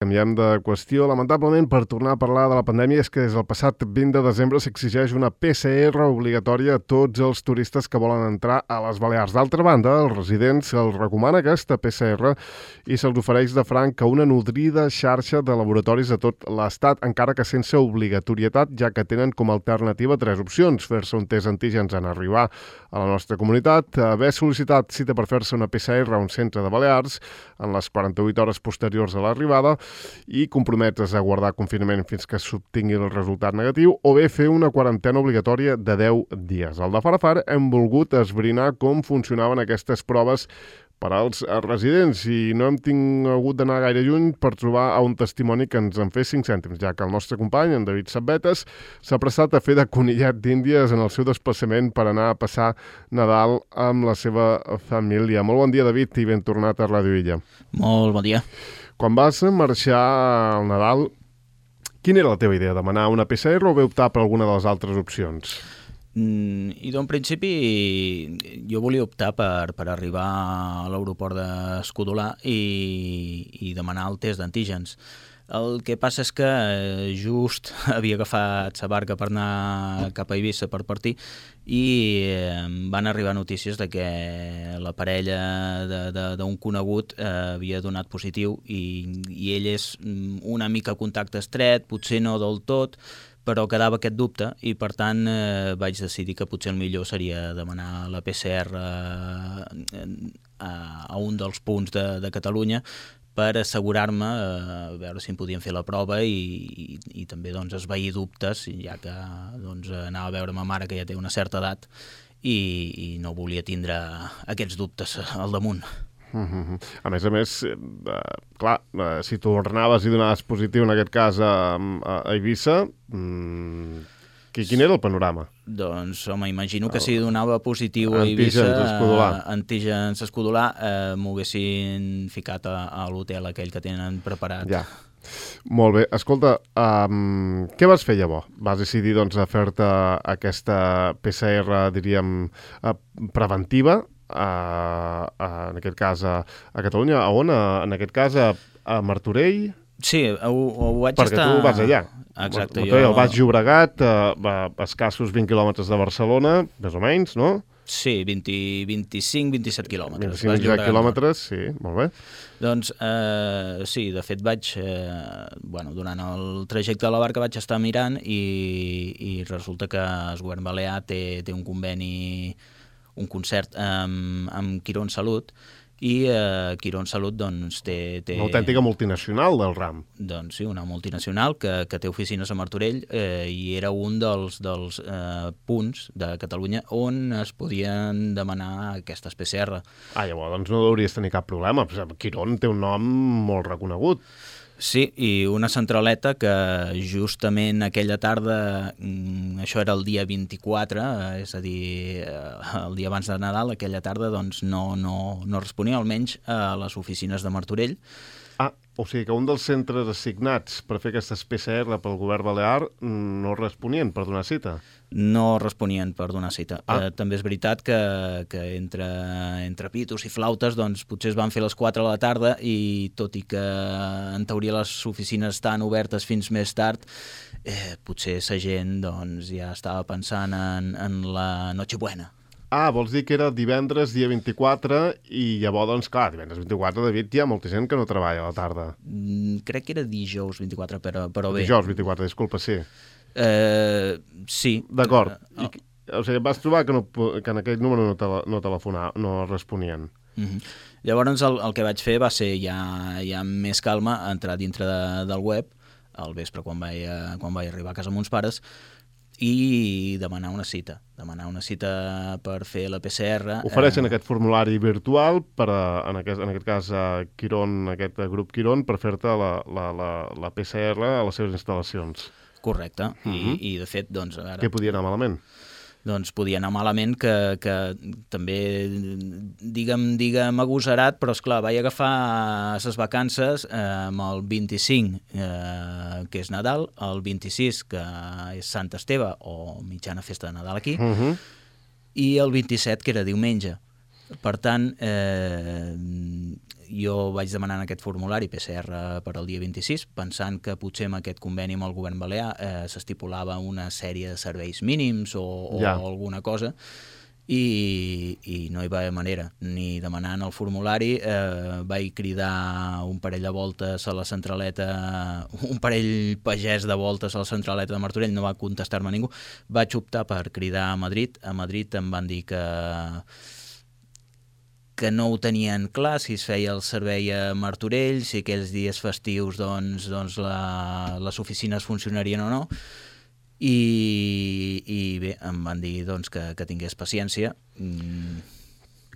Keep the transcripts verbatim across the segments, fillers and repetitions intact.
Canviem de qüestió, lamentablement, per tornar a parlar de la pandèmia, és que des del passat vint de desembre s'exigeix una P C R obligatòria a tots els turistes que volen entrar a les Balears. D'altra banda, els residents se'ls recomana aquesta P C R i se'ls ofereix de franc a una nodrida xarxa de laboratoris a tot l'Estat, encara que sense obligatorietat, ja que tenen com a alternativa tres opcions: fer-se un test antígens en arribar a la nostra comunitat, haver sol·licitat cita per fer-se una P C R a un centre de Balears en les quaranta-vuit hores posteriors a l'arribada, i comprometre's a guardar confinament fins que s'obtingui el resultat negatiu, o bé fer una quarantena obligatòria de deu dies. Al de Farafar hem volgut esbrinar com funcionaven aquestes proves per als residents i no hem tingut d'anar gaire lluny per trobar un testimoni que ens en fes cinc cèntims, ja que el nostre company, en David Sabbetes, s'ha prestat a fer de conillet d'Índies en el seu desplaçament per anar a passar Nadal amb la seva família. Molt bon dia, David, i ben tornat a Ràdio Illa. Molt bon dia. Quan vas marxar al Nadal, quina era la teva idea? Demanar una P C R o bé optar per alguna de les altres opcions? Mm, I d'un principi jo volia optar per, per arribar a l'aeroport d'Escudolà i, i demanar el test d'antígens. El que passa és que just havia agafat sa barca per anar cap a Eivissa per partir i eh, van arribar notícies de que la parella d'un conegut eh, havia donat positiu i, i ell és una mica contacte estret, potser no del tot, però quedava aquest dubte i per tant eh, vaig decidir que potser el millor seria demanar la P C R a, a un dels punts de, de Catalunya per assegurar-me, eh, a veure si em podien fer la prova i, i, i també doncs, esvair dubtes, ja que doncs, anava a veure ma mare, que ja té una certa edat, i, i no volia tindre aquests dubtes al damunt. Mm-hmm. A més a més, eh, clar, eh, si tornaves i donaves positiu, en aquest cas a, a Eivissa, mm, quin era el panorama? Doncs, home, imagino que si donava positiu a Eivissa, antígens Escudolà, eh, m'ho haguessin ficat a, a l'hotel aquell que tenen preparat. Ja. Molt bé. Escolta, um, què vas fer llavors? Vas decidir doncs, a fer-te aquesta P C R, diríem, uh, preventiva, uh, uh, en aquest cas a, a Catalunya. A on? Uh, en aquest cas a, a Martorell? Sí, ho, ho vaig Perquè estar... Perquè tu vas allà. Exacte. Martorell, jo... el Baix Llobregat, a, a escassos vint quilòmetres de Barcelona, més o menys, no? Sí, vint, vint-i-cinc vint-i-set quilòmetres. vint-i-cinc quilòmetres, sí, molt bé. Doncs eh, sí, de fet vaig, eh, bueno, durant el trajecte de la barca vaig estar mirant i, i resulta que el govern balear té, té un conveni, un concert amb, amb Quirón Salut, i eh, Quirón Salut doncs, té, té... Una autèntica multinacional del ram. Doncs sí, una multinacional que, que té oficines a Martorell eh, i era un dels, dels eh, punts de Catalunya on es podien demanar aquestes P C R. Ah, llavors doncs no hauries tenir cap problema. Quirón té un nom molt reconegut. Sí, i una centraleta que justament aquella tarda, això era el dia vint-i-quatre, és a dir, el dia abans de Nadal, aquella tarda doncs no, no, no responia, almenys a les oficines de Martorell. Ah, o sigui que un dels centres assignats per fer aquestes P C R pel govern balear no responien per donar cita? No responien per donar cita. Ah. Eh, també és veritat que, que entre, entre pitos i flautes doncs, potser es van fer a les quatre de la tarda i tot i que en teoria les oficines estan obertes fins més tard, eh, potser sa gent doncs, ja estava pensant en, en la Nochebuena. Ah, vols dir que era divendres, dia vint-i-quatre, i llavors, doncs, clar, divendres vint-i-quatre, David, hi ha molta gent que no treballa a la tarda. Mm, crec que era dijous vint-i-quatre, però, però bé. Dijous vint-i-quatre, disculpa, sí. Eh, sí. D'acord. Uh, I, o sigui, vas trobar que, no, que en aquell número no, tele, no telefonava, no responien. Uh-huh. Llavors el, el que vaig fer va ser ja, ja amb més calma entrar dintre de, del web al vespre quan vaig, quan vaig arribar a casa amb uns pares i demanar una cita, demanar una cita per fer la P C R. Ofereixen eh... aquest formulari virtual per, a, en, aquest, en aquest cas, a Quirón, aquest grup Quirón, per fer-te la, la, la, la P C R a les seves instal·lacions. Correcte, uh-huh. I, i de fet, doncs... A veure, què podia anar malament? Doncs podia anar malament, que, que també, digue'm, digue'm agosarat, però esclar, vaig agafar les vacances eh, amb el vint-i-cinc, eh, que és Nadal, el vint-i-sis, que és Sant Esteve, o mitjana festa de Nadal aquí, uh-huh. i el vint-i-set, que era diumenge. Per tant, eh, jo vaig demanar en aquest formulari P C R per al dia vint-i-sis, pensant que potser amb aquest conveni amb el govern balear eh, s'estipulava una sèrie de serveis mínims o, o ja. alguna cosa, i, i no hi va haver manera, ni demanant el formulari. Eh, vaig cridar un parell de voltes a la centraleta, un parell pagès de voltes a la centraleta de Martorell, no va contestar-me ningú. Vaig optar per cridar a Madrid. A Madrid em van dir que que no ho tenien clar, si es feia el servei a Martorell, si aquells dies festius doncs, doncs la, les oficines funcionarien o no, i, i bé, em van dir doncs, que, que tingués paciència. Mm.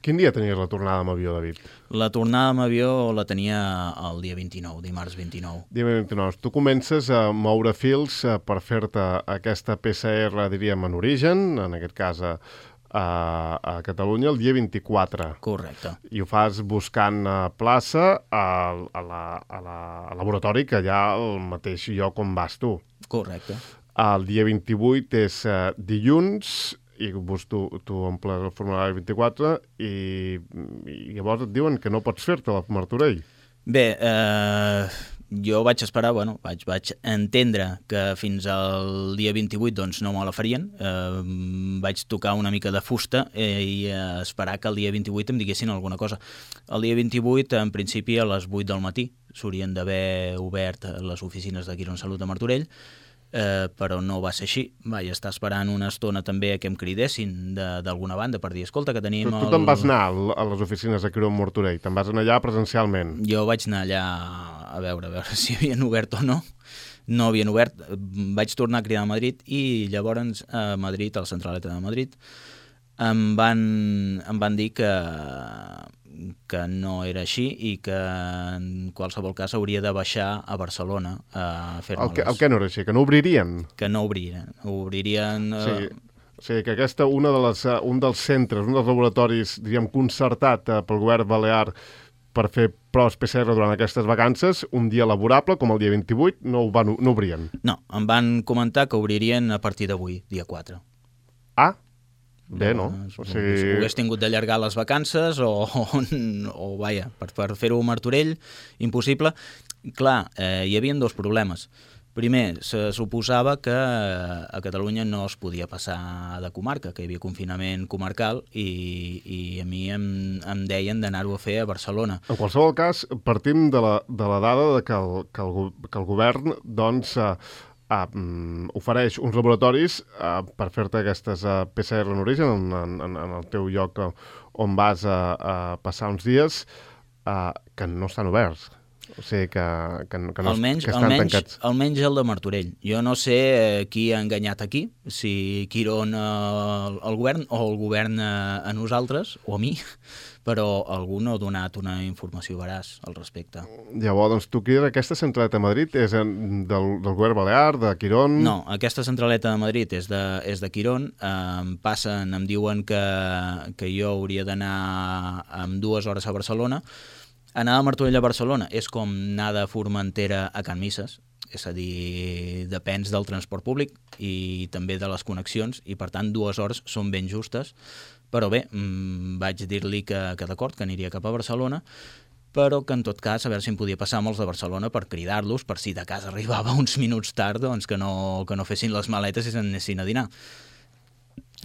Quin dia tenies la tornada amb avió, David? La tornada amb avió la tenia el dia vint-i-nou, dimarts vint-i-nou. Dia vint-i-nou. Tu comences a moure fils per fer-te aquesta P C R, diríem, en origen, en aquest cas a A, a Catalunya el dia vint-i-quatre. Correcte. I ho fas buscant a plaça a, a, la, a, la, al laboratori que hi ha al mateix lloc on vas tu. Correcte. El dia vint-i-vuit és uh, dilluns i tu, tu omples el formulari vint-i-quatre i, i llavors et diuen que no pots fer-te la Martorell. Bé, eh, jo vaig esperar, bueno, vaig, vaig entendre que fins al dia vint-i-vuit doncs, no me la farien. Eh, vaig tocar una mica de fusta eh, i eh, esperar que el dia vint-i-vuit em diguessin alguna cosa. El dia vint-i-vuit, en principi, a les vuit del matí, s'haurien d'haver obert les oficines de Quirónsalud de Martorell, eh, però no va ser així. Vaig estar esperant una estona també que em cridessin d'alguna banda per dir, escolta, que tenim... Però tu el... te'n vas anar a les oficines de Quirón Martorell? Te'n vas anar allà presencialment? Jo vaig anar allà a veure, a veure si havien obert o no. No havien obert. Vaig tornar a cridar a Madrid i llavors a Madrid, a la centraleta de Madrid, em van, em van dir que, que no era així i que en qualsevol cas hauria de baixar a Barcelona a fer-me el, que, el que no era així? Que no obririen? Que no obririen. Obririen... Sí. O sigui, que aquesta, una de les, un dels centres, un dels laboratoris, diríem, concertat eh, pel govern balear per fer proves P C R durant aquestes vacances, un dia laborable, com el dia vint-i-vuit, no, ho van, no obrien. No, em van comentar que obririen a partir d'avui, dia quatre. Ah, bé, no? no? O sigui... Si hagués tingut d'allargar les vacances o, o, o vaja, per, per fer-ho a Martorell, impossible. Clar, eh, hi havia dos problemes. Primer, se suposava que a Catalunya no es podia passar de comarca, que hi havia confinament comarcal i, i a mi em, em deien d'anar-ho a fer a Barcelona. En qualsevol cas, partim de la, de la dada de que, el, que, el, que el govern doncs, eh, eh, ofereix uns laboratoris eh, per fer-te aquestes eh, P C R en origen, en, en, en el teu lloc on vas a, a passar uns dies, eh, que no estan oberts. O sigui, que, que, que, no, almenys, que estan almenys, tancats. Almenys el de Martorell. Jo no sé eh, qui ha enganyat aquí, si Quirón eh, el govern o el govern eh, a nosaltres, o a mi, però algú no ha donat una informació veraç al respecte. Llavors, doncs, tu que aquesta centraleta de Madrid és en, del, del govern balear, de Quirón? No, aquesta centraleta de Madrid és de, és de Quirón. Eh, em passen, em diuen que, que jo hauria d'anar amb dues hores a Barcelona. Anar a Martorell a Barcelona és com anar de Formentera a Can Misses, és a dir, depens del transport públic i també de les connexions, i per tant dues hores són ben justes, però bé, mmm, vaig dir-li que, que d'acord, que aniria cap a Barcelona, però que en tot cas a veure si em podia passar amb els de Barcelona per cridar-los, per si de cas arribava uns minuts tard, doncs que no, que no fessin les maletes i s'anessin a dinar.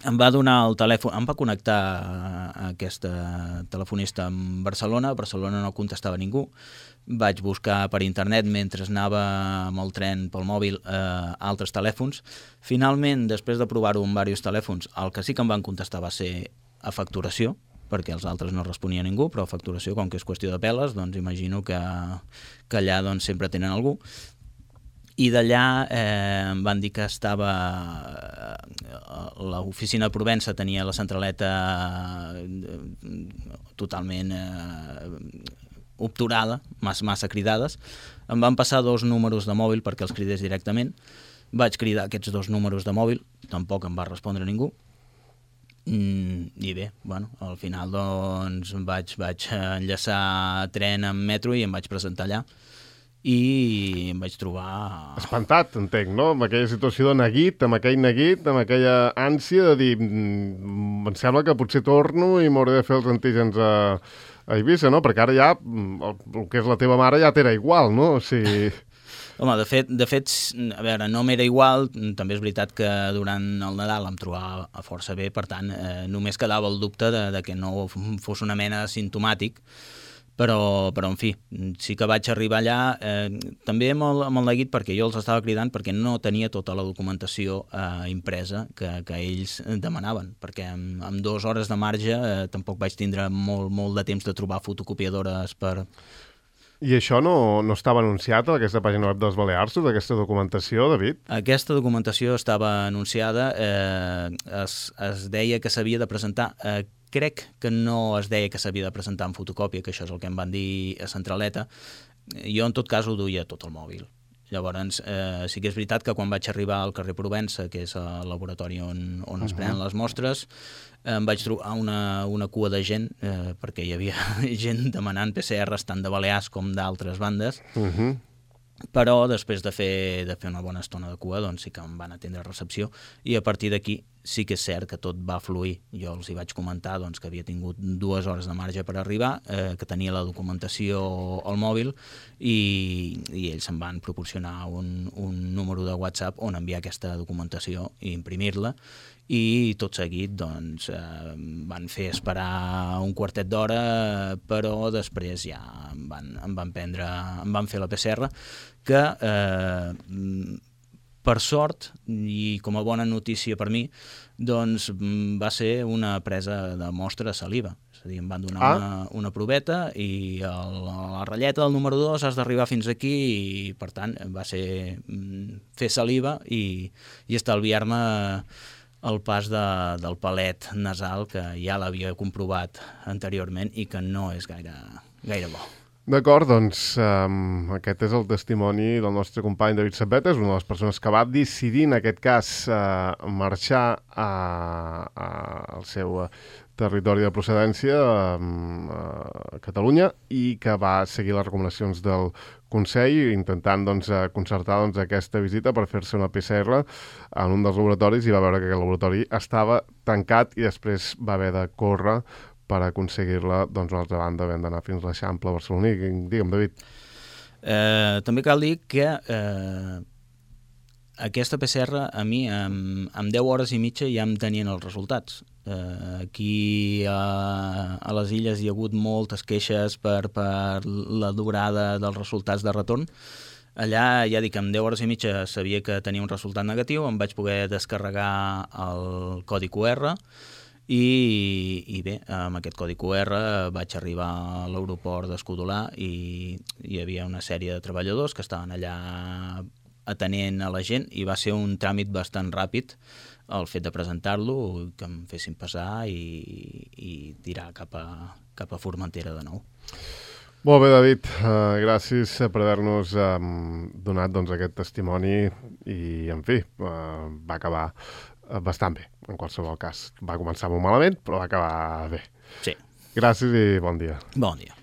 Em va donar el telèfon, em va connectar a aquesta telefonista en Barcelona, a Barcelona no contestava ningú, vaig buscar per internet mentre anava amb el tren pel mòbil eh, altres telèfons. Finalment, després de provar-ho amb diversos telèfons, el que sí que em van contestar va ser a facturació, perquè els altres no responia ningú, però a facturació, com que és qüestió de peles, doncs imagino que, que allà doncs, sempre tenen algú. I d'allà eh, em van dir que estava... l'oficina de Provença tenia la centraleta totalment eh, obturada, massa, massa cridades. Em van passar dos números de mòbil perquè els cridés directament. Vaig cridar aquests dos números de mòbil, tampoc em va respondre ningú. Mm, I bé, bueno, al final doncs vaig, vaig enllaçar tren amb metro i em vaig presentar allà. i em vaig trobar... Espantat, entenc, no? Amb aquella situació de neguit, amb aquell neguit, amb aquella ànsia de dir em sembla que potser torno i m'hauré de fer els antígens a, a Eivissa, no? Perquè ara ja el, el que és la teva mare ja t'era igual, no? O sigui... Home, de fet, de fet, a veure, no m'era igual, també és veritat que durant el Nadal em trobava força bé, per tant, eh, només quedava el dubte de, de que no fos una mena simptomàtic, però, però en fi, sí que vaig arribar allà, eh, també amb el, amb el neguit, perquè jo els estava cridant perquè no tenia tota la documentació eh, impresa que, que ells demanaven, perquè amb, amb dues hores de marge eh, tampoc vaig tindre molt, molt de temps de trobar fotocopiadores per... I això no, no estava anunciat a aquesta pàgina web dels Balears, tota aquesta documentació, David? Aquesta documentació estava anunciada, eh, es, es deia que s'havia de presentar, eh, crec que no es deia que s'havia de presentar en fotocòpia, que això és el que em van dir a Centraleta. Jo en tot cas ho duia tot al mòbil. Llavors, eh, sí que és veritat que quan vaig arribar al carrer Provença, que és el laboratori on, on es prenen les mostres, em vaig trobar una, una cua de gent, eh, perquè hi havia gent demanant P C Rs tant de Balears com d'altres bandes, Uh -huh. però després de fer, de fer una bona estona de cua, doncs sí que em van atendre a recepció, i a partir d'aquí sí que és cert que tot va fluir. Jo els hi vaig comentar doncs, que havia tingut dues hores de marge per arribar, eh, que tenia la documentació al mòbil, i, i ells em van proporcionar un, un número de WhatsApp on enviar aquesta documentació i imprimir-la, i tot seguit doncs, eh, van fer esperar un quartet d'hora, però després ja em van, em van prendre, em van fer la P C R, que eh, per sort, i com a bona notícia per mi, doncs va ser una presa de mostra de saliva. És a dir, em van donar ah. una, una proveta i el, la ratlleta del número dos has d'arribar fins aquí, i per tant va ser fer saliva i, i estalviar-me el pas de, del palet nasal, que ja l'havia comprovat anteriorment i que no és gaire, gaire bo. D'acord, doncs um, aquest és el testimoni del nostre company David Sabbeta, és una de les persones que va decidir en aquest cas uh, marxar a, a, al seu territori de procedència, um, a Catalunya, i que va seguir les recomanacions del Consell, intentant doncs, concertar doncs, aquesta visita per fer-se una P C R en un dels laboratoris, i va veure que aquest laboratori estava tancat i després va haver de córrer per aconseguir-la, doncs, a l'altra banda vam d'anar fins a l'Eixample barceloní. Digue'm, David. Eh, també cal dir que eh, aquesta P C R a mi amb, amb deu hores i mitja ja em tenien els resultats. Eh, aquí a, a les Illes hi ha hagut moltes queixes per, per la durada dels resultats de retorn. Allà ja dic, amb deu hores i mitja sabia que tenia un resultat negatiu, em vaig poder descarregar el codi Q R, I, i bé, amb aquest codi Q R vaig arribar a l'aeroport d'Escudolà i hi havia una sèrie de treballadors que estaven allà atenent a la gent, i va ser un tràmit bastant ràpid el fet de presentar-lo, que em fessin passar i, i tirar cap a, cap a Formentera de nou. Molt bé, David, uh, gràcies per haver-nos um, donat doncs, aquest testimoni i, en fi, uh, va acabar bastant bé, en qualsevol cas. Va començar molt malament, però va acabar bé. Sí. Gràcies i bon dia. Bon dia.